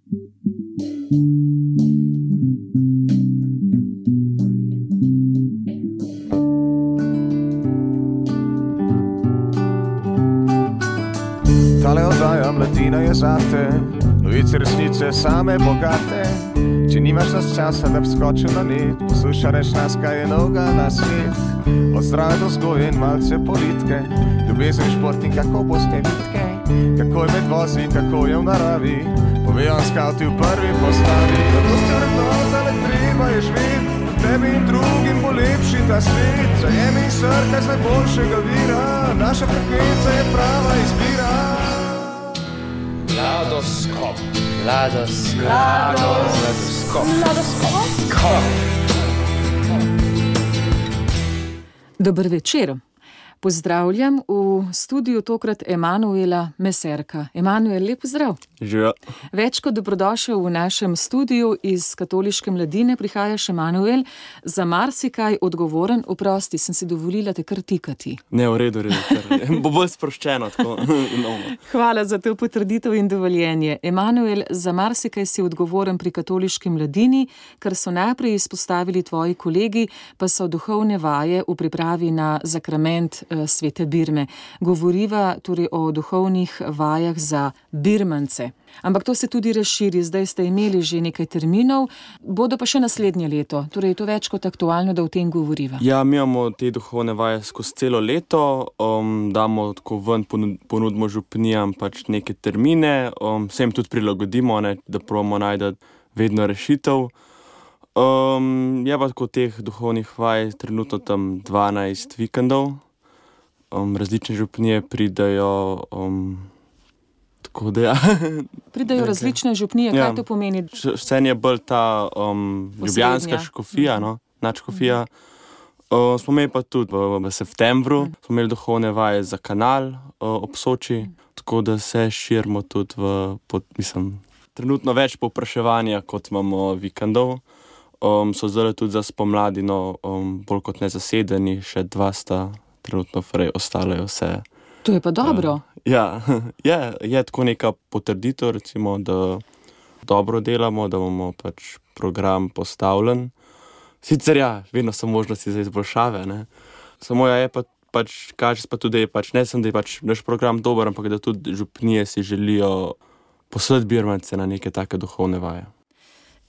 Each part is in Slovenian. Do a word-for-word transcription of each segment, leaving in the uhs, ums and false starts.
Tale oddaja Mladina je zate, novice resnice same bogate. Če nimaš nas časa, da bi skočil na net, poslušaj reč nas, kaj je novega na svet. Od zdrave do vzgoje in malce politike, ljubezen, šport in kako boste vitke, kako je med vozi, kako je v naravi, povejo skauti v prvi postavi. Zato ste vrednota, le treba je živeti, tebi in drugim bo lepši ta svet. Zajemi in srkaj z najboljšega vira, naša frekvenca je prava izbira. Mladoskop. Mladoskop. Mladoskop. Mladoskop. Dober večer. Pozdravljam v studiu tokrat Emanuela Meserka. Emanuel, lep pozdrav. Živijo. Več kot dobrodošel v našem studiu. Iz Katoliške mladine prihajaš, Emanuel, za marsikaj odgovoren. Oprosti, sem si dovolila te kar tikati. Ne, v redu, v redu. Bo bolj sproščeno, tako. Hvala za to potrditev in dovoljenje. Emanuel, za marsikaj si odgovoren pri Katoliški mladini, kar so najprej izpostavili tvoji kolegi, pa so duhovne vaje v pripravi na zakrament Svete Birme. Govoriva torej o duhovnih vajah za birmance. Ampak to se tudi razširi, zdaj ste imeli že nekaj terminov, bodo pa še naslednje leto. Torej je to več kot aktualno, da o tem govoriva. Ja, mi imamo te duhovne vaje skozi celo leto, um, damo tako ven, ponudimo župnijam pač neke termine, um, se jim tudi prilagodimo, ne, da probamo najti vedno rešitev. Um, je pa tako teh duhovnih vaj trenutno tam dvanajst vikendov. Um, različne župnije pridajo, um, tako da ja. Pridajo okay. Različne župnije, kaj ja. To pomeni? Vse je bolj ta um, ljubljanska škofija, no, nadškofija. Uh, smo imeli pa tudi v, v septembru, mm. smo imeli duhovne vaje za kanal uh, ob Soči, mm. tako da se širimo tudi v, pod, mislim, trenutno več povpraševanja, kot imamo vikendov. Um, so zdaj tudi za spomladino um, bolj kot nezasedeni, še dva sta trenutno, frej, ostale vse. To je pa dobro. Uh, ja, je, je tako neka potrditev, recimo, da dobro delamo, da bomo pač program postavljen. Sicer ja, vedno so možnosti za izboljšave, ne. Samo ja, je pa pač, kaže pa tudi, da je pač, ne sem, da je pač naš program dober, ampak da tudi župnije si želijo poslati birmance na neke take duhovne vaje.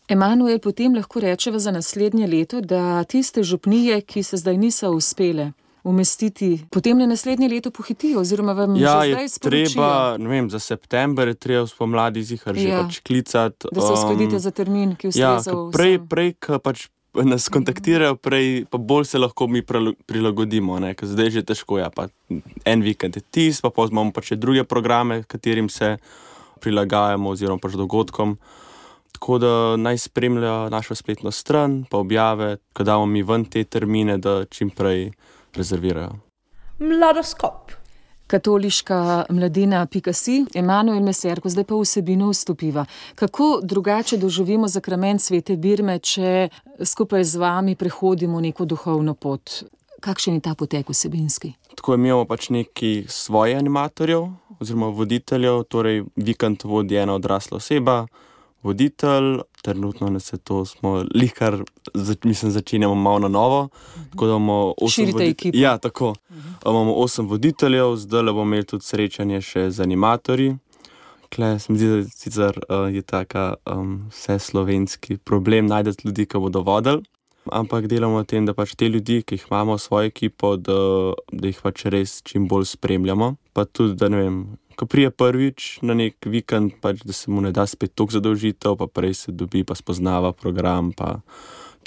Emanuel, potem lahko rečeva za naslednje leto, da tiste župnije, ki se zdaj niso uspele umestiti, potem na naslednje leto pohitijo, oziroma vam ja, že zdaj sporočijo. Ja, je treba, ne vem, za september je treba spomladi zihar že ja. pač klicati. Da se uskladite um, za termin, ki ustreza ja, prej, prej, ko pač nas kontaktirajo, prej, pa bolj se lahko mi prilagodimo, ne, ker zdaj že težko, ja, pa en vikend je tis, pa potem imamo pač druge programe, katerim se prilagajamo, oziroma pač dogodkom. Tako da naj spremlja našo spletno stran, pa objave, ko damo mi ven te termine, da čim prej rezervirajo. Mladoskop. Katoliška mladina pika si, Emanuel Meserko, zdaj pa vsebino vstopiva. Kako drugače doživimo zakrament Svete Birme, če skupaj z vami prehodimo neko duhovno pot? Kakšen je ta potek vsebinski? Tako imamo pač neki svoje animatorjev, oziroma voditeljev, torej vikend vodi ena odrasla oseba, voditelj, trenutno ne se to smo lihkar, mislim, začenjamo malo na novo. Tako da imamo osem širite voditelj... ekipo. Ja, tako. Uh-huh. Imamo osem voditeljev, zdaj bomo imeli tudi srečanje še z animatorji. Kle, se mi zdi, da sicer uh, je taka um, vse slovenski problem najdeti ljudi, ki bodo vodili. Ampak delamo na tem, da pač te ljudi, ki jih imamo v svojo ekipo, da, da jih pač res čim bolj spremljamo. Pa tudi, da ne vem, ko prije prvič na nek vikend, pač, da se mu ne da spet toliko zadolžitev, pa prej se dobi, pa spoznava program, pa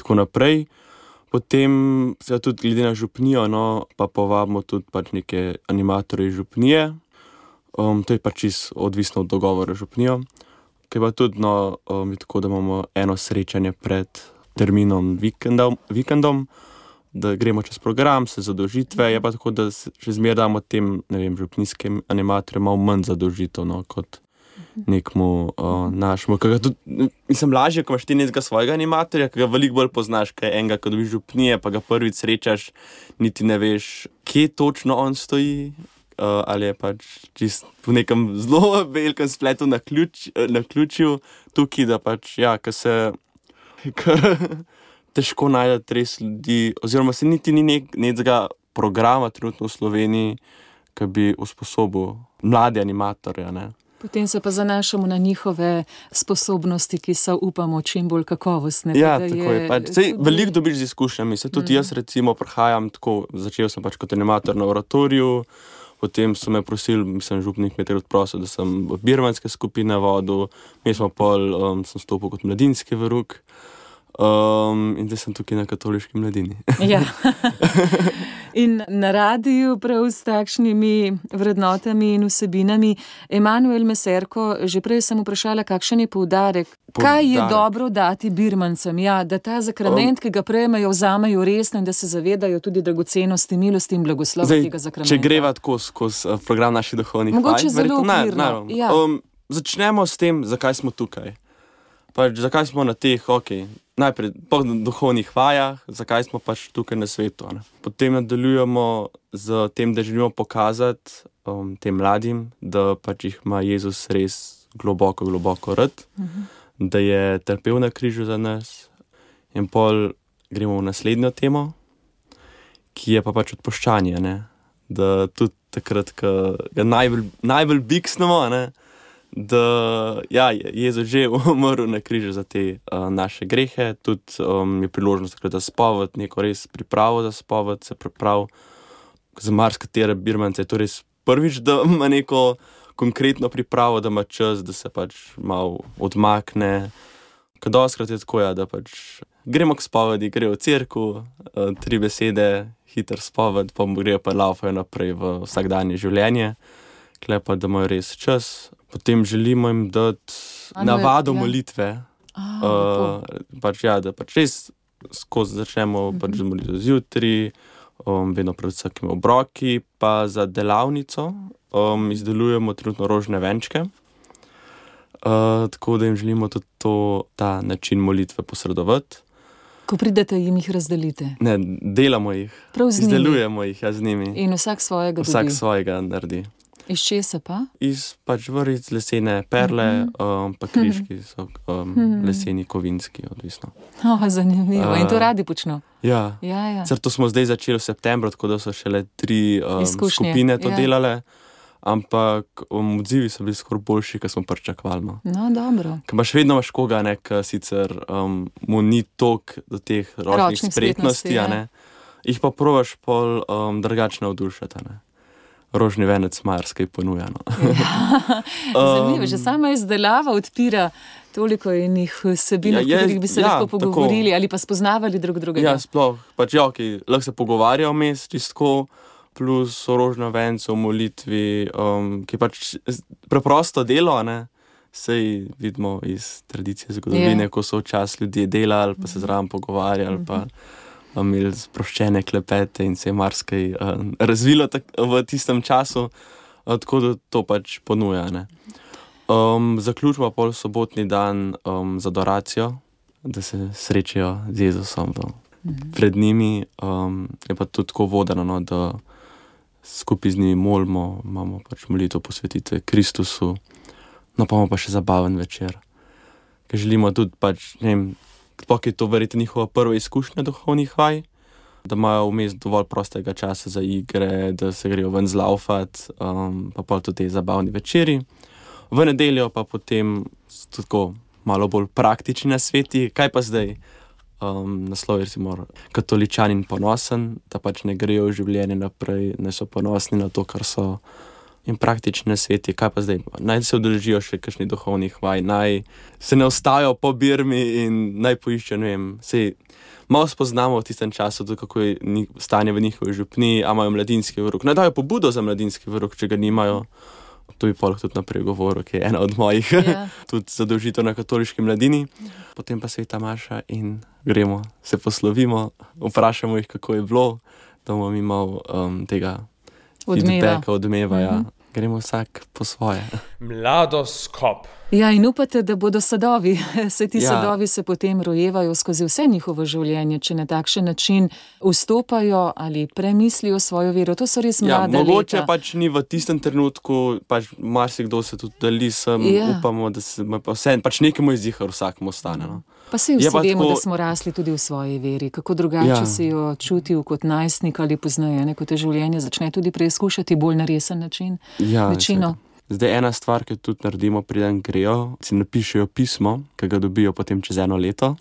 tako naprej. Potem se tudi glede na župnijo, no, pa povabimo tudi pač neke animatorje župnije. Um, to je pač čisto odvisno od dogovora župnijo. Ker pa tudi, no, um, je tako, da imamo eno srečanje pred terminom vikendom, vikendom, da gremo čez program, se zadolžitve, je pa tako, da še zmeraj damo tem, ne vem, župnijskim animatorjem malo manj zadolžitev, no, kot nekmu uh, našemu. Tudi, mislim, lažje, ko imaš ti nekega svojega animatorja, ki ga veliko bolj poznaš, kaj enega, ko dobiš župnije, pa ga prvič srečaš, niti ne veš, kje točno on stoji, uh, ali je pač čist v nekem zelo velikem spletu na, ključ, na ključju tukaj, da pač, ja, ker se težko najdete res ljudi, oziroma se niti ni nek, nekega programa trenutno v Sloveniji, ki bi usposobil mlade animatorje, ne. Potem se pa zanašamo na njihove sposobnosti, ki so, upamo, čim bolj kakovostne. Ja, tako je. je pač, sej, tudi... Veliko dobiš z izkušnjami. Se tudi mm. jaz recimo prihajam tako, začel sem pač kot animator na oratoriju, potem so me prosili, mislim, župnik me takrat prosil, da sem od birmanske skupine vodil, mi smo pol, um, sem stopil kot mladinski veruk. Um, in zdaj sem tukaj na katoliški mladini. Ja. In na radiju prav s takšnimi vrednotami in vsebinami. Emanuel Meserko, že prej sem vprašala, kakšen je poudarek. poudarek. Kaj je dobro dati birmancem? Ja, da ta zakrament, um, ki ga prejmejo, vzamejo resno in da se zavedajo tudi dragocenosti, milosti in blagoslova tega zakramenta. Če greva tako skozi program naših duhovnih vaj. Mogoče zelo okvirno. Ja. Um, začnemo s tem, zakaj smo tukaj. Pač, zakaj smo na teh, ok, najprej po duhovnih vajah, zakaj smo pač tukaj na svetu. Ne? Potem nadaljujemo z tem, da želimo pokazati um, tem mladim, da pač jih ima Jezus res globoko, globoko rad, uh-huh. da je trpel na križu za nas. In pol gremo v naslednjo temo, ki je pa pač odpuščanje, ne? Da tudi takrat, ko ga najbolj, najbolj biksnemo, ne? Da ja, Jezus že umrl na križu za te uh, naše grehe, tudi um, je priložnost takrat za spoved, neko res pripravo za spoved, se priprav za marskatere birmance je to res prvič, da ima neko konkretno pripravo, da ima čas, da se pač malo odmakne. Ker doskrat je tako, ja, da pač gremo k spovedi, grejo v cerkev, uh, tri besede, hiter spoved, pa grejo pa laufajo naprej v vsakdanje življenje, kle pa da imajo res čas. Potem želimo jim dati navado molitve. A, uh, pač ja, da pač res skozi začnemo uh-huh. pač molitev zjutraj, um, vedno pred vsakimi obroki, pa za delavnico um, izdelujemo trenutno rožne venčke. Uh, tako da jim želimo tudi to, ta način molitve posredovati. Ko pridete, jim jih razdelite? Ne, delamo jih. Prav z njimi? Izdelujemo jih, ja, z njimi. In vsak svojega dobi? Vsak svojega naredi. Iz česa pa? Iz pač vrvic, lesene perle, uh-huh. um, pa križki so um, uh-huh. leseni, kovinski, odvisno. Oh, zanimivo. Uh, In to radi počno? Ja. ja, ja. Cer to smo zdaj začeli v septembru, tako da so šele tri um, skupine to ja. delale, ampak um, odzivi so bili skoraj boljši, kot smo pričakovali. No, dobro. Ker imaš vedno imaš koga, ne, ki sicer um, mu ni tok do teh ročnih spretnosti, ja. ne, jih pa probaš pol um, drugače navdušati, ne. Rožni venec marskaj ponuja. No. Ja, zanimivo, že sama izdelava odpira toliko enih vsebin, ja, o katerih bi se ja, lahko pogovorili tako, ali pa spoznavali drug drugega. Ja, sploh. Pač ja, okay, lahko se pogovarjajo vmes čistko, plus o rožnem vencu, o molitvi, um, ki je pač preprosto delo, ne. Sej vidimo iz tradicije zgodovine, ja. ko so včasih ljudje delali, pa se zraven pogovarjali, uh-huh. pa imeli sproščene klepete in se je marsikaj uh, razvilo tak, v tistem času, uh, tako da to pač ponuja. Ne. Um, zaključimo pol sobotni dan um, z adoracijo, da se srečajo z Jezusom mm-hmm. pred njimi. Um, je pa tudi tako vodeno, no, da skupaj z njimi molimo, imamo pač molitev posvetitve Kristusu, no pa imamo pa še zabaven večer. Ker želimo tudi pač, ne vem, sploh je to verjetno njihova prva izkušnja duhovnih vaj, da imajo vmes dovolj prostega časa za igre, da se grejo ven zlaufat, um, pa pol tudi te zabavni večeri. V nedeljo pa potem tako malo bolj praktični nasveti, kaj pa zdaj? Um, naslov je recimo katoličanin ponosen, da pač ne grejo v življenje naprej, ne so ponosni na to, kar so. In praktični nasveti, kaj pa zdaj? Naj se udeležijo še kakšnih duhovnih vaj, naj se ne ostajajo po Birmi in naj poiščejo, ne vem, sej malo spoznamo v tistem času, kako je stanje v njihovi župni, a imajo mladinski veruk. Naj dajo pobudo za mladinski veruk, če ga nimajo. To bi pol tudi naprej govoril, ki je ena od mojih yeah. tudi zadolžitev na katoliški mladini. Potem pa sveta maša in gremo, se poslovimo, vprašamo jih, kako je bilo, da bomo mi malo um, tega Odmeva. feedbacka, odmeva, mm-hmm. ja. Gremo vsak po svoje. Mladoskop. Ja, in upate, da bodo sadovi. Se ti Ja. sadovi se potem rojevajo skozi vse njihovo življenje, če na takšen način vstopajo ali premislijo svojo vero. To so res Ja, mlada mogoče leta. pač ni v tistem trenutku, pač marsikdo se tudi dali sem, Ja. upamo, da se pa vse, pač nekemu izdihar vsakmu ostane. No. Pa saj Je vsi pa vemo, tako- da smo rasli tudi v svoji veri. Kako drugače Ja. si jo čutil kot najstnik ali pozneje, ne, ko te življenje začne tudi preizkušati bolj na resen način. Ja, Večino. seveda. Zdaj ena stvar, ki jo tudi naredimo, preden grejo, si napišejo pismo, ki ga dobijo potem čez eno leto.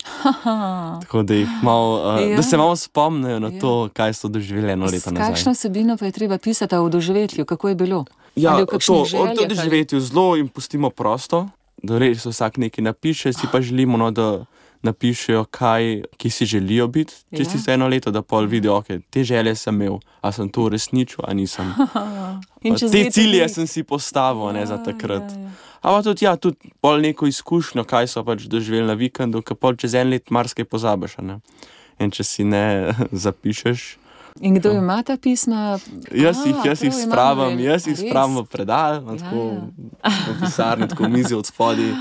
Tako da, jih malo, uh, Ja. da se malo spomnijo na Ja. to, kaj so doživeli eno leto S nazaj. kakšno vsebino pa je treba pisati o doživetju, kako je bilo? Ja, Ali v to, kakšnih o željah, to ali- doživetju zelo jim pustimo prosto, da res vsak nekaj napiše, si pa želimo, no, da napišejo, kaj, ki si želijo biti čez Ja. tisto eno leto, da pol vidijo, ok, te želje sem imel, a sem to uresničil, a nisem. In Pa čez te leto cilje dni- sem si postavil, ne, za Ja, takrat. ja, ja. Ampak tudi, ja, tudi pol neko izkušnjo, kaj so pač doživeli na vikendu, ker pol čez en let marsikaj pozabiš, a ne. In če si ne zapišeš, In kdo ima ta pisma? jaz A, jih, jaz jih prav, spravim, Emanuel. jaz jih A res? spravim v predal, ja, tako v pisarni, tako v mizi od spodaj.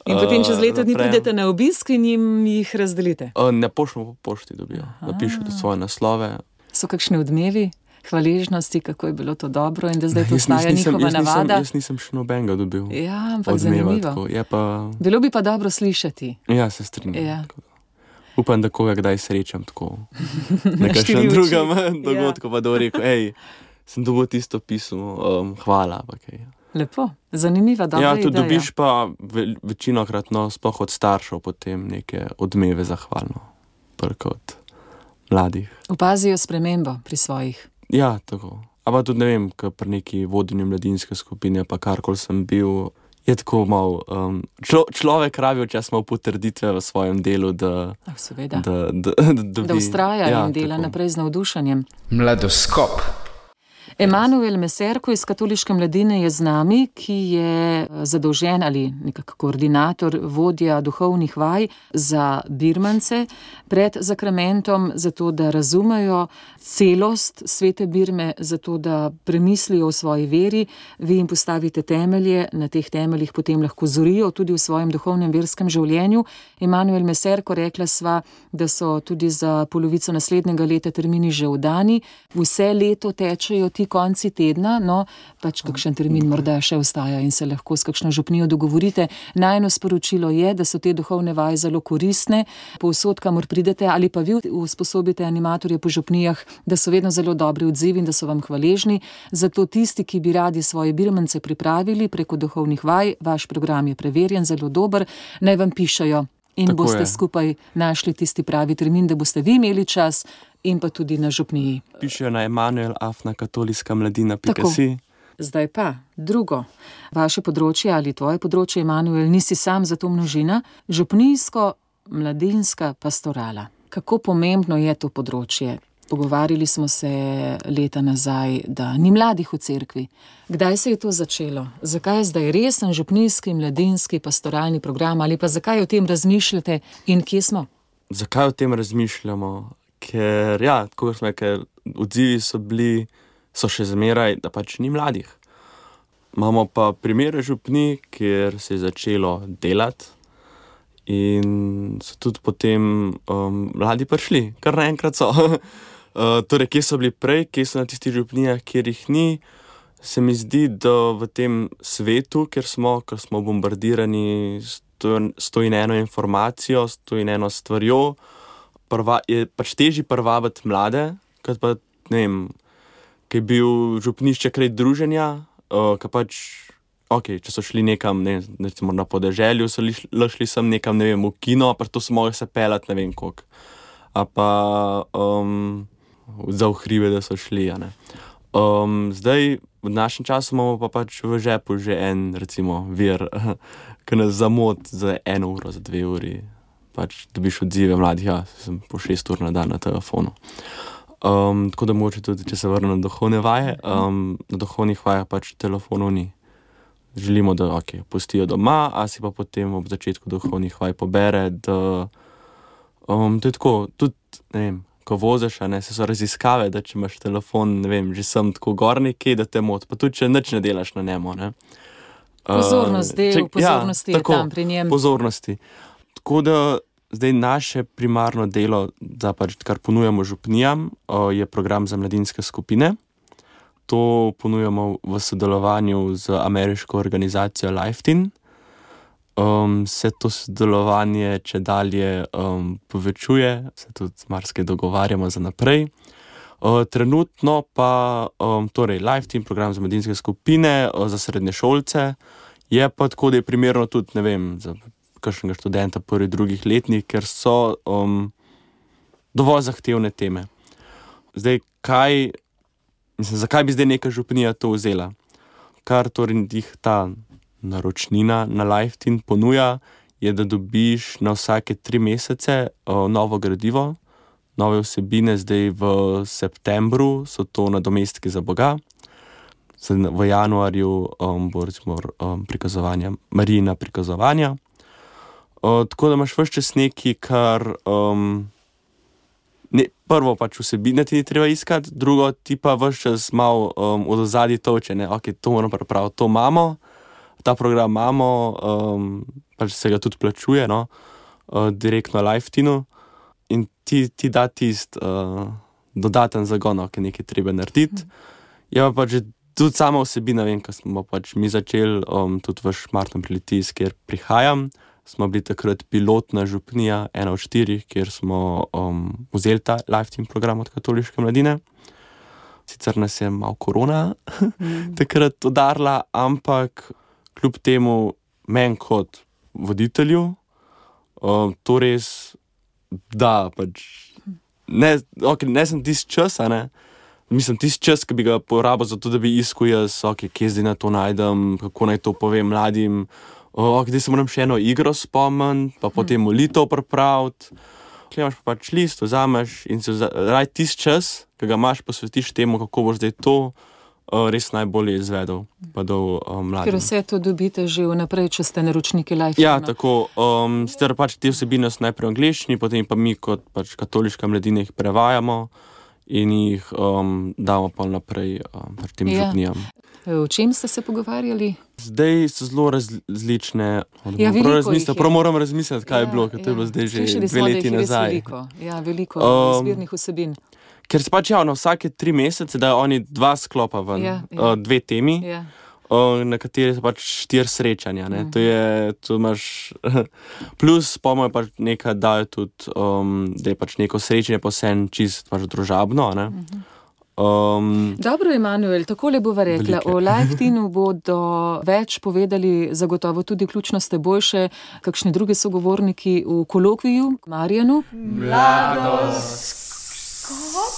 In potem čez leto dni zaprem. pridete na obisk in jim jih razdelite. Uh, ne pošljemo po pošti, dobijo. Napišejo tudi svoje naslove. So kakšni odmevi, hvaležnosti, kako je bilo to dobro in da zdaj to Jaz nis- ostaja nisem- njihova jaz nisem- navada. Jaz nisem še nobenega dobil. Ja, ampak Odmeva, zanimivo. tako. Je pa, Bilo bi pa dobro slišati. ja, se strinjam. Ja. Tako da. Upam, da koga kdaj srečam tako na štiri kakšnem oči. drugem Ja. dogodku, pa da bo rekel, hej, sem dobil tisto pismo, um, hvala. Pa kaj. Lepo, zanimiva, dobra Ja, tudi ideja. dobiš pa ve, večinokrat, no, sploh od staršev potem neke odmeve zahvalno, prek od mladih. Opazijo spremembo pri svojih. Ja, tako. Ampak tudi ne vem, ker pri neki vodenju mladinske skupine, pa karkoli sem bil, je tako malo. Um, člo, človek rabi včasih malo potrditve v svojem delu, da, Ah, seveda. da, da, da, dobi- Da vztraja ja, in dela tako. naprej z navdušenjem. Mladoskop. Emanuel Meserko iz Katoliške mladine je z nami, ki je zadolžen ali nekako koordinator, vodja duhovnih vaj za Birmance pred zakramentom, zato da razumejo celost svete Birme, zato da premislijo o svoji veri. Vi jim postavite temelje, na teh temeljih potem lahko zorijo tudi v svojem duhovnem verskem življenju. Emanuel Meserko, rekla sva, da so tudi za polovico naslednjega leta termini že oddani. Vse leto tečejo ti konci tedna, no, pač kakšen termin morda še ostaja in se lahko s kakšno župnijo dogovorite. Najno sporočilo je, da so te duhovne vaje zelo koristne, povsod, kamor pridete, ali pa vi usposobite animatorje po župnijah, da so vedno zelo dobri odzivi in da so vam hvaležni. Zato tisti, ki bi radi svoje Birmance pripravili preko duhovnih vaj, vaš program je preverjen, zelo dober, naj vam pišajo in Tako boste je. skupaj našli tisti pravi termin, da boste vi imeli čas in pa tudi na župniji. Pišejo na emanuel afna katoliška mladina pika Tako. si. Zdaj pa, drugo, vaše področje ali tvoje področje, Emanuel, nisi sam za to množina, župnijsko mladinska pastorala. Kako pomembno je to področje? Pogovarjali smo se leta nazaj, da ni mladih v cerkvi. Kdaj se je to začelo? Zakaj je zdaj resen župnijski mladinski pastoralni program ali pa zakaj o tem razmišljate in kje smo? Zakaj o tem razmišljamo? Ker, ja, tako smo, ker odzivi so bili, so še zmeraj, da pač ni mladih. Imamo pa primere župni, kjer se je začelo delati in so tudi potem um, mladi prišli, kar naenkrat so. uh, torej, kje so bili prej, kje so na tistih župnijah, kjer jih ni, se mi zdi, da v tem svetu, kjer smo, ker smo bombardirani s to- s to in eno informacijo, s to in eno stvarjo, prva, je pač težje privabiti mlade, kot pa, ne vem, ki je bil župnišče kraj druženja, uh, ki pač, ok, če so šli nekam, ne, recimo na podeželju, so li, šli sem nekam, ne vem, v kino, pa to so mogli se pelati, ne vem koliko. A pa um, za v hribe, da so šli, a ne. Um, zdaj, v našem času imamo pa pač v žepu že en, recimo, vir, ki nas zamot za eno uro, za dve uri. Pač dobiš odzive mladih, ja, sem po šest ur na dan na telefonu. Um, tako da mogoče tudi, če se vrnem na duhovne vaje, um, na duhovnih vajah pač telefonov ni. Želimo, da okay, pustijo doma, a si pa potem ob začetku duhovnih vaj pobere, da um, to je tako, tudi, ne vem, ko voziš, a ne, se so raziskave, da če imaš telefon, ne vem, že sem tako gor nekje, da te moti, pa tudi, če nič ne delaš na njemu, ne. Pozornost del, uh, pozornosti ja, je tam pri njem. Pozornosti. Tako da zdaj naše primarno delo, da pač, kar ponujamo župnijam, uh, je program za mladinske skupine. To ponujamo v sodelovanju z ameriško organizacijo LifeTeen. Um, se to sodelovanje če dalje um, povečuje, se tudi marsikaj dogovarjamo za naprej. Uh, trenutno pa um, torej LifeTeen, program za mladinske skupine, uh, za srednje šolce, je pa tako, da je primerno tudi, ne vem, za kakšnega študenta prvi, drugih letnik, ker so um, dovolj zahtevne teme. Zdaj, kaj, mislim, zakaj bi zdaj neka župnija to vzela? Kar torej jih ta naročnina na LifeTeen ponuja, je, da dobiš na vsake tri mesece uh, novo gradivo, nove vsebine. Zdaj v septembru so to nadomestki za Boga, v januarju um, bo recimo um, prikazovanja, Marijina prikazovanja. Uh, tako da imaš vse čas nekaj, kar um, ne, prvo pač vsebine ti ni treba iskati, drugo ti pa vse čas malo um, od ozadja toče, ne, ok, to moramo pripraviti, to imamo, ta program imamo, um, pač se ga tudi plačuje, no, uh, direktno LifeTeenu in ti, ti da tist uh, dodaten zagon, ki nekaj treba narediti. Je pa pač tudi sama vsebina, vem, ko smo pač mi začeli, um, tudi v Šmartnem pri Litijski, kjer prihajam, smo bili takrat pilotna župnija, ena od štirih, kjer smo um, vzeli ta LifeTeen program od katoliške mladine. Sicer nas je malo korona mm. takrat udarila, ampak kljub temu meni kot voditelju um, to res da pač ne, okay, ne sem tisti čas, a ne, mislim tisti čas, ki bi ga porabil za to, da bi iskal jaz, ok, kje zdaj na to najdem, kako naj to povem mladim, ok, zdaj se moram še eno igro spomniti, pa potem molitev pripraviti. Tukaj imaš pa pač list, vzameš in se raj tisti čas, ki ga imaš, posvetiš temu, kako boš zdaj to uh, res najbolje izvedel, pa dal uh, mladim. Ker vse to dobite že vnaprej, če ste naročniki LifeTeena. Ja, tako, um, sicer pač te vsebine so najprej v angleščini, potem pa mi kot pač katoliška mladina jih prevajamo in jih um, damo pa naprej um, pač tem Ja. župnijam. O čem ste se pogovarjali? Zdaj so zelo različne, Ja, veliko jih je. prav moram razmisliti, kaj Ja, je bilo, ker to je bilo zdaj že Slišali dve smo, da jih leti je res nazaj. Veliko. Ja, veliko Um, izbirnih vsebin. Ker se pač ja, na vsake tri mesece dajo oni dva sklopa ven, Ja, ja. uh, dve temi, Ja. uh, na kateri so pač štiri srečanja, ne. To je, to imaš, plus pomo je pač nekaj, dajo tudi, um, da je pač neko srečanje pa vseeno čist pač družabno, ne. Um, Dobro, Emanuel, takole bova rekla. Velike. O LifeTeenu bodo več povedali zagotovo tudi ključno s teboj še kakšni drugi sogovorniki v kolokviju, Marjanu.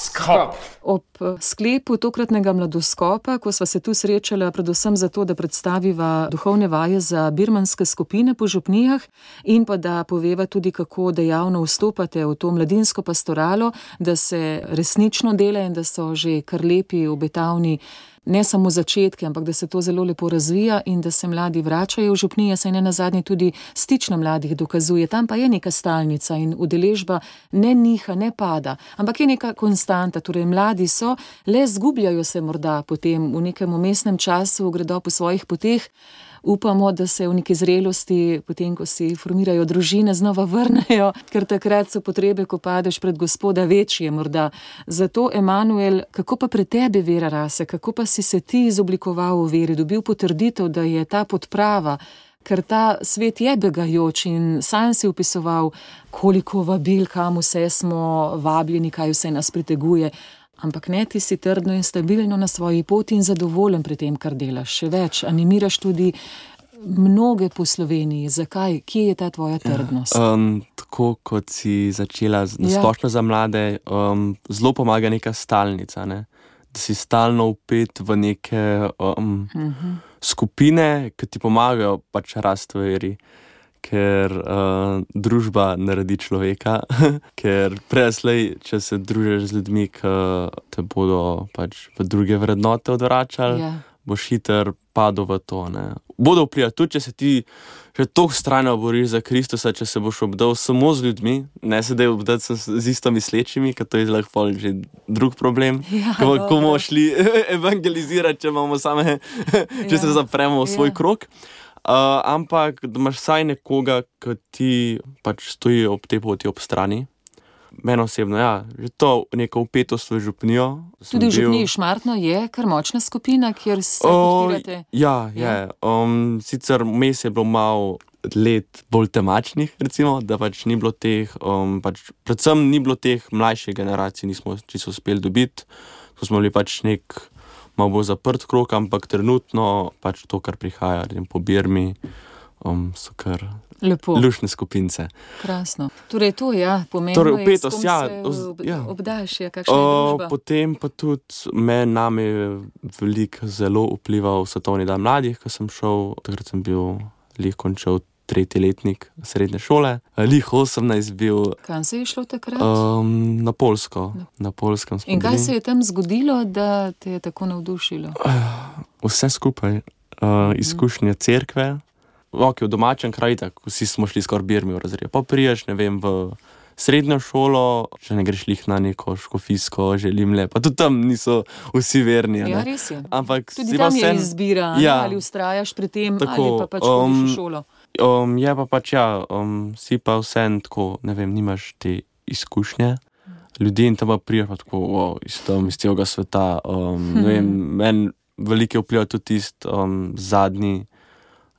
Skop. Ob sklepu tokratnega mladoskopa, ko sva se tu srečala predvsem zato, da predstaviva duhovne vaje za birmanske skupine po župnijah in pa da poveva tudi, kako dejavno vstopate v to mladinsko pastoralo, da se resnično dela in da so že kar lepi, obetavni ne samo začetki, ampak da se to zelo lepo razvija in da se mladi vračajo v župnije, saj ne nazadnje tudi stično mladih dokazuje. Tam pa je neka stalnica in udeležba ne niha, ne pada, ampak je neka konstanta, torej mladi so, le zgubljajo se morda potem v nekem umestnem času, gredo po svojih poteh. Upamo, da se v neki zrelosti, potem ko si formirajo družine, znova vrnejo, ker takrat so potrebe, ko padeš pred Gospoda, večje morda. Zato, Emanuel, kako pa pri tebi vera rase, kako pa si se ti izoblikoval v veri, dobil potrditev, da je ta podprava, ker ta svet je begajoč in sam si opisoval, koliko vabil, kam vse smo vabljeni, kaj vse nas priteguje. Ampak ne, ti si trdno in stabilno na svoji poti in zadovoljen pri tem, kar delaš. Še več, animiraš tudi mnoge po Sloveniji. Zakaj? Kje je ta tvoja trdnost? Ja, um, tako kot si začela z- na Ja. splošno za mlade, um, zelo pomaga neka stalnica, ne? Da si stalno vpet v neke um, skupine, ki ti pomagajo pač rasti v veri. Ker uh, družba naredi človeka, ker preslej, če se družiš z ljudmi, ki te bodo pač v druge vrednote odvračali, Ja. boš hiter padel v to, ne. bodo vplivali, tudi če se ti že toliko strajno boriš za Kristusa, če se boš obdal samo z ljudmi, ne se da obdati z isto mislečimi, ker to je lahko že drug problem, Ja, ko, ko dobro. bomo šli evangelizirati, če imamo same, če se Ja, zapremo v svoj ja. krog. Uh, ampak, da imaš vsaj nekoga, ki ti pač stoji ob tej poti ob strani. Meni osebno, ja, že to neko vpetost v župnijo. sem Tudi v bil- Župniji Šmartno je kar močna skupina, kjer se O, podpirate. Ja, Ja. je. Um, sicer vmes je bilo malo let bolj temačnih, recimo, da pač ni bilo teh, um, pač, predvsem ni bilo teh mlajših generacij, nismo čisto uspeli dobiti. To smo bili pač nek malo bolj zaprt krog, ampak trenutno pač to, kar prihaja recimo, po Birmi, um, so kar Lepo, lušne skupince. krasno. Torej to, ja, pomembno Torej, je, s vpetost, kom ja, se oz- ob, ja. obdaš, ja, kakšna je O, družba. potem pa tudi me, name je veliko zelo vplival Svetovni dan mladih, ko sem šel, takrat sem bil lih končal tretji letnik srednje šole, lih osemnajst bil Kam se je šlo takrat? um, na Poljsko, na Poljskem smo In kaj bili. se je tam zgodilo, da te je tako navdušilo? Vse skupaj, uh, izkušnje cerkve, ok, v domačem kraju, tako vsi smo šli skoraj Birmi v razred. Pa priješ, ne vem, v srednjo šolo, če ne greš lih na neko škofijsko, želim le, pa tudi tam niso vsi verni. a Ja, ne. res je. Ampak Tudi si pa tam je vseeno- izbira, a ne, Ja. ali ustrajaš pri tem, Tako, ali pa pač hodiš v um, šolo. Um, je pa pač ja, um, si pa vseeno tako, ne vem, nimaš te izkušnje. Ljudje in tam pa priješ pa tako, wow, iz, tam, iz tega sveta. Um, ne vem, meni veliko je vplival tudi tisti um, zadnji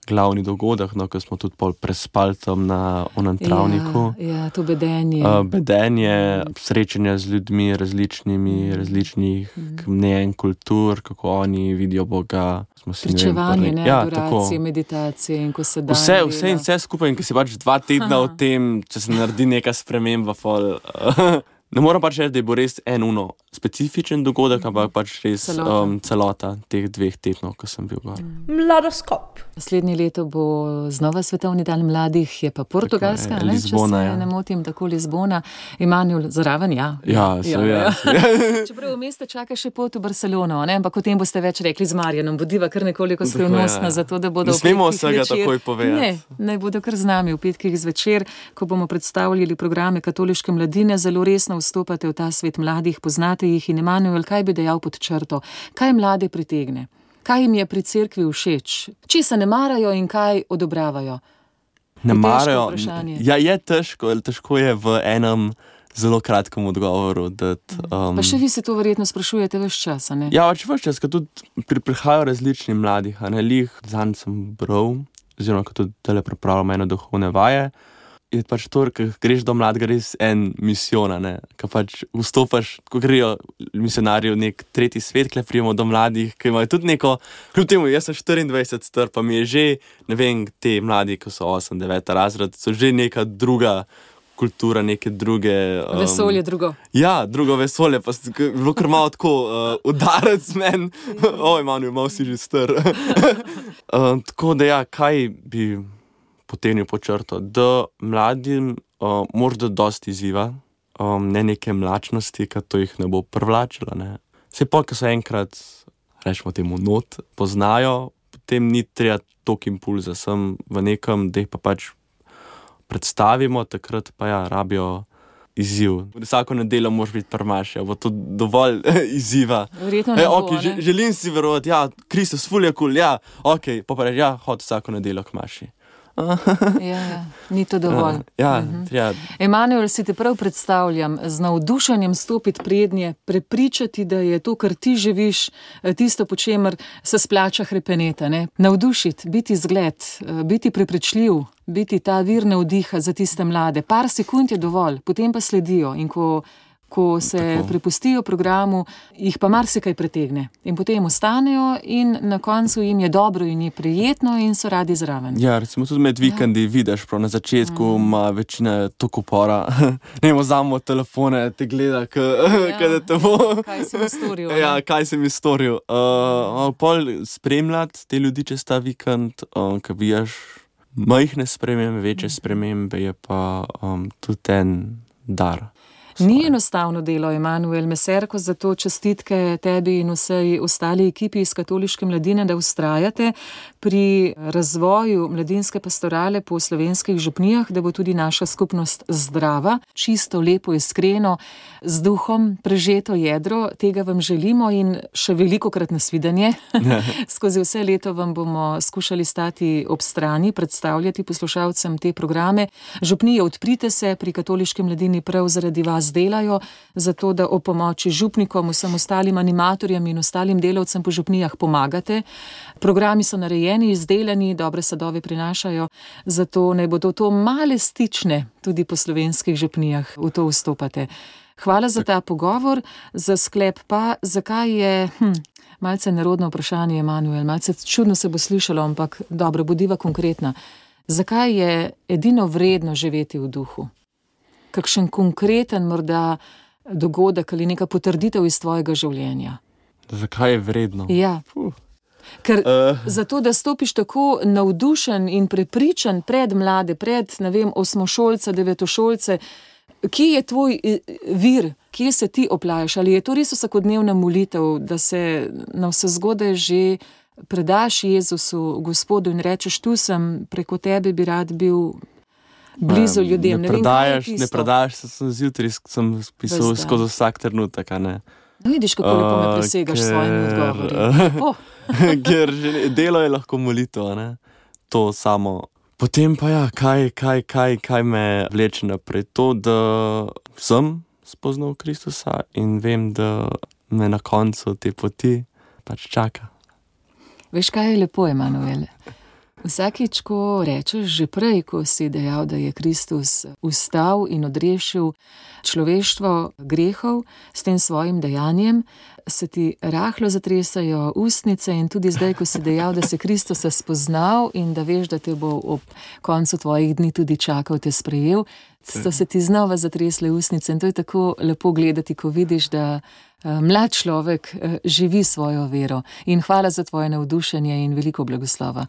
glavni dogodek, no, ko smo tudi pol prespali tam na onem travniku. Ja, ja, to bedenje. Uh, bedenje, srečanja z ljudmi različnimi, različnih mnenj, kultur, kako oni vidijo Boga. Smo si, ne vem, Pričevanje, prvi- ne, ja, adoracije, tako. meditacije in ko se da. Vse, vse in vse skupaj, in ko si pač dva tedna Aha. v tem, če se naredi neka sprememba, fol, ne moram pač reči, da je bo res en uno specifičen dogodek, ampak pač res Celota. um, celota teh dveh tednov, ko sem bil gor. Mladoskop. Naslednje leto bo znova Svetovni dan mladih, je pa Portugalska, Tako je, ne, Lizbona, če se ja. ne motim, tako Lizbona. Emanuel zraven, ja. Ja, seveda. Čeprav v mestu čaka še pot v Barcelono, ne? Ampak o tem boste več rekli z Marjanom. Bodiva kar nekoliko Tako, skrivnostna, ja. zato da bodo Ne v smemo petkih vsega zvečer- takoj povedati. Ne, naj bodo kar z nami v petkih zvečer, ko bomo predstavljali programe katoliške mladine, zelo resno vstopate v ta svet mladih, poznate jih in Emanuel, kaj bi dejal pod črto? Kaj mlade pritegne? Kaj jim je pri cerkvi všeč? Česa ne marajo in kaj odobravajo? Ne težko marajo. vprašanje. Ja, je težko, težko je v enem zelo kratkem odgovoru. Dati, um, Pa še vi se to verjetno sprašujete ves čas, a ne? Ja, pač vse čas, ko tudi pri, prihajajo različni mladih, a ne lih, zanj sem bral, oziroma ko tudi tele pripravljam ene duhovne vaje. Je pač to, ko greš do mladega, res en misijon, a ne, ko pač vstopaš, ko grejo misionarji v nek tretji svet, kle prijemo do mladih, ki imajo tudi neko, kljub temu, jaz sem štiriindvajset star, pa mi je že, ne vem, te mladi, ko so osem, devet razred, so že neka druga kultura, neke druge... Um, Vesolje drugo. Ja, drugo vesolje, pa je bilo kar malo tako uh, udarec meni. Oj, Emanuel, malo si že star. uh, tako da ja, kaj bi potegnil po črto? Da mladim uh, morda dosti izziva, um, ne neke mlačnosti, ker to jih ne bo privlačilo. Ne. Se pa, ko so enkrat, rečemo temu, not, poznajo, potem ni treba toliko impulza, sem v nekem, da jih pa pač predstavimo, takrat pa ja, rabijo izziv. Vsako nedeljo moraš biti prmaš, ja, bo to dovolj izziva. Verjetno ne E, bo, okay, a že, ne? želim si verovati, ja, Kristus, ful je kul, ja, ok, pa pa reči, ja, hod vsako nedeljo k maši. Ja, ja, ni to dovolj. Ja, treba. Emanuel, si te prav predstavljam, z navdušenjem stopiti prednje, prepričati, da je to, kar ti živiš, tisto, po čemer se splača hrepeneta. Ne? Navdušiti, biti zgled, biti prepričljiv, biti ta vir navdiha za tiste mlade. Par sekund je dovolj, potem pa sledijo in ko, ko se Tako. prepustijo programu, jih pa marsikaj pretegne. In potem ostanejo in na koncu jim je dobro in je prijetno in so radi zraven. Ja, recimo tudi med vikendi vidiš, prav na začetku ima večina toliko upora. Ne, vzamemo telefone, te gleda, k, Ja. da te bo. Kaj si mi storil? a ne? Ja, kaj sem jaz storil. Uh, pol spremljati te ljudi čez ta vikend, um, ko vidiš majhne spremembe, večje spremembe, je pa um, tudi en dar. Ni enostavno delo, Emanuel Meserko, zato čestitke tebi in vsej ostali ekipi iz Katoliške mladine, da vztrajate pri razvoju mladinske pastorale po slovenskih župnijah, da bo tudi naša skupnost zdrava, čisto, lepo, iskreno, z duhom prežeto jedro. Tega vam želimo in še velikokrat nasvidenje. Skozi vse leto vam bomo skušali stati ob strani, predstavljati poslušalcem te programe. Župnije, odprite se, pri Katoliški mladini prav zaradi vas delajo, zato da o pomoči župnikom, vsem ostalim animatorjem in ostalim delavcem po župnijah pomagate. Programi so narejeni, izdelani, dobre sadove prinašajo, zato naj bodo to male stične tudi po slovenskih župnijah, v to vstopate. Hvala za ta pogovor, za sklep pa, zakaj je, hm, malce nerodno vprašanje, Emanuel, malce čudno se bo slišalo, ampak dobro, bodiva konkretna. Zakaj je edino vredno živeti v duhu? Kakšen konkreten morda dogodek ali neka potrditev iz tvojega življenja? Zakaj je vredno? Ja. Puh. Ker Uh. zato, da stopiš tako navdušen in prepričan pred mlade, pred, ne vem, osmošolce, devetošolce, kje je tvoj vir, kje se ti oplajaš? Ali je to res vsakodnevna molitev, da se na vse zgodaj že predaš Jezusu, Gospodu in rečeš, tu sem, preko tebe bi rad bil blizu um, ljudem. Ne, ne predajaš, vem, ne predajaš, se sem zjutraj, sem pisal skozi vsak trenutek, a ne. No, vidiš, kako lepo me presegaš s svojimi odgovori. Oh. Ker delo je lahko molitev, a ne. To samo. Potem pa ja, kaj, kaj, kaj, kaj me vleče naprej? To, da sem spoznal Kristusa in vem, da me na koncu te poti pač čaka. Veš, kaj je lepo, Emanuel? Vsakič, ko rečeš, že prej, ko si dejal, da je Kristus vstal in odrešil človeštvo grehov s tem svojim dejanjem, se ti rahlo zatresajo ustnice in tudi zdaj, ko si dejal, da si Kristusa spoznal in da veš, da te bo ob koncu tvojih dni tudi čakal, te sprejel, so se ti znova zatresle ustnice in to je tako lepo gledati, ko vidiš, da mlad človek živi svojo vero. In hvala za tvoje navdušenje in veliko blagoslova.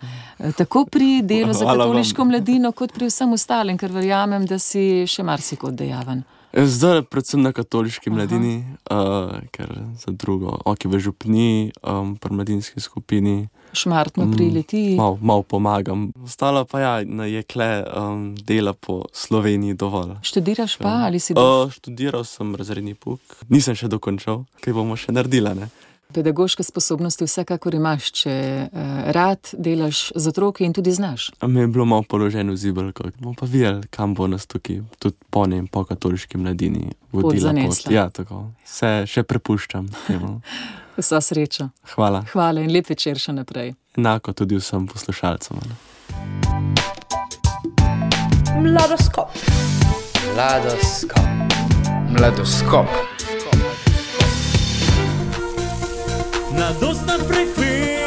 Tako pri delu za Katoliško mladino, kot pri vsem ostalim, ker verjamem, da si še marsikod dejaven. Zdaj predvsem na Katoliški mladini, uh, ker za drugo, ok, v župniji, um, pri mladinski skupini. Šmartno pri Litiji. Mal, mal pomagam. Ostalo pa ja, je kle um, dela po Sloveniji dovolj. Študiraš pa ali si boš? Uh, študiral sem razredni pouk. Nisem še dokončal, kaj bomo še naredila, ne? Pedagoške sposobnosti vsekakor imaš, če uh, rad delaš z otroki in tudi znaš. A mi je bilo malo položeno v zibelko. Bomo pa videli, kam bo nas tukaj, tudi po njem, po Katoliški mladini vodila pot. Ja, tako. Se še prepuščam. Vsa sreča. Hvala. Hvala in lep večer še naprej. Enako tudi vsem poslušalcem. Mladoskop. Mladoskop. Mladoskop. Mladostna frekvenca.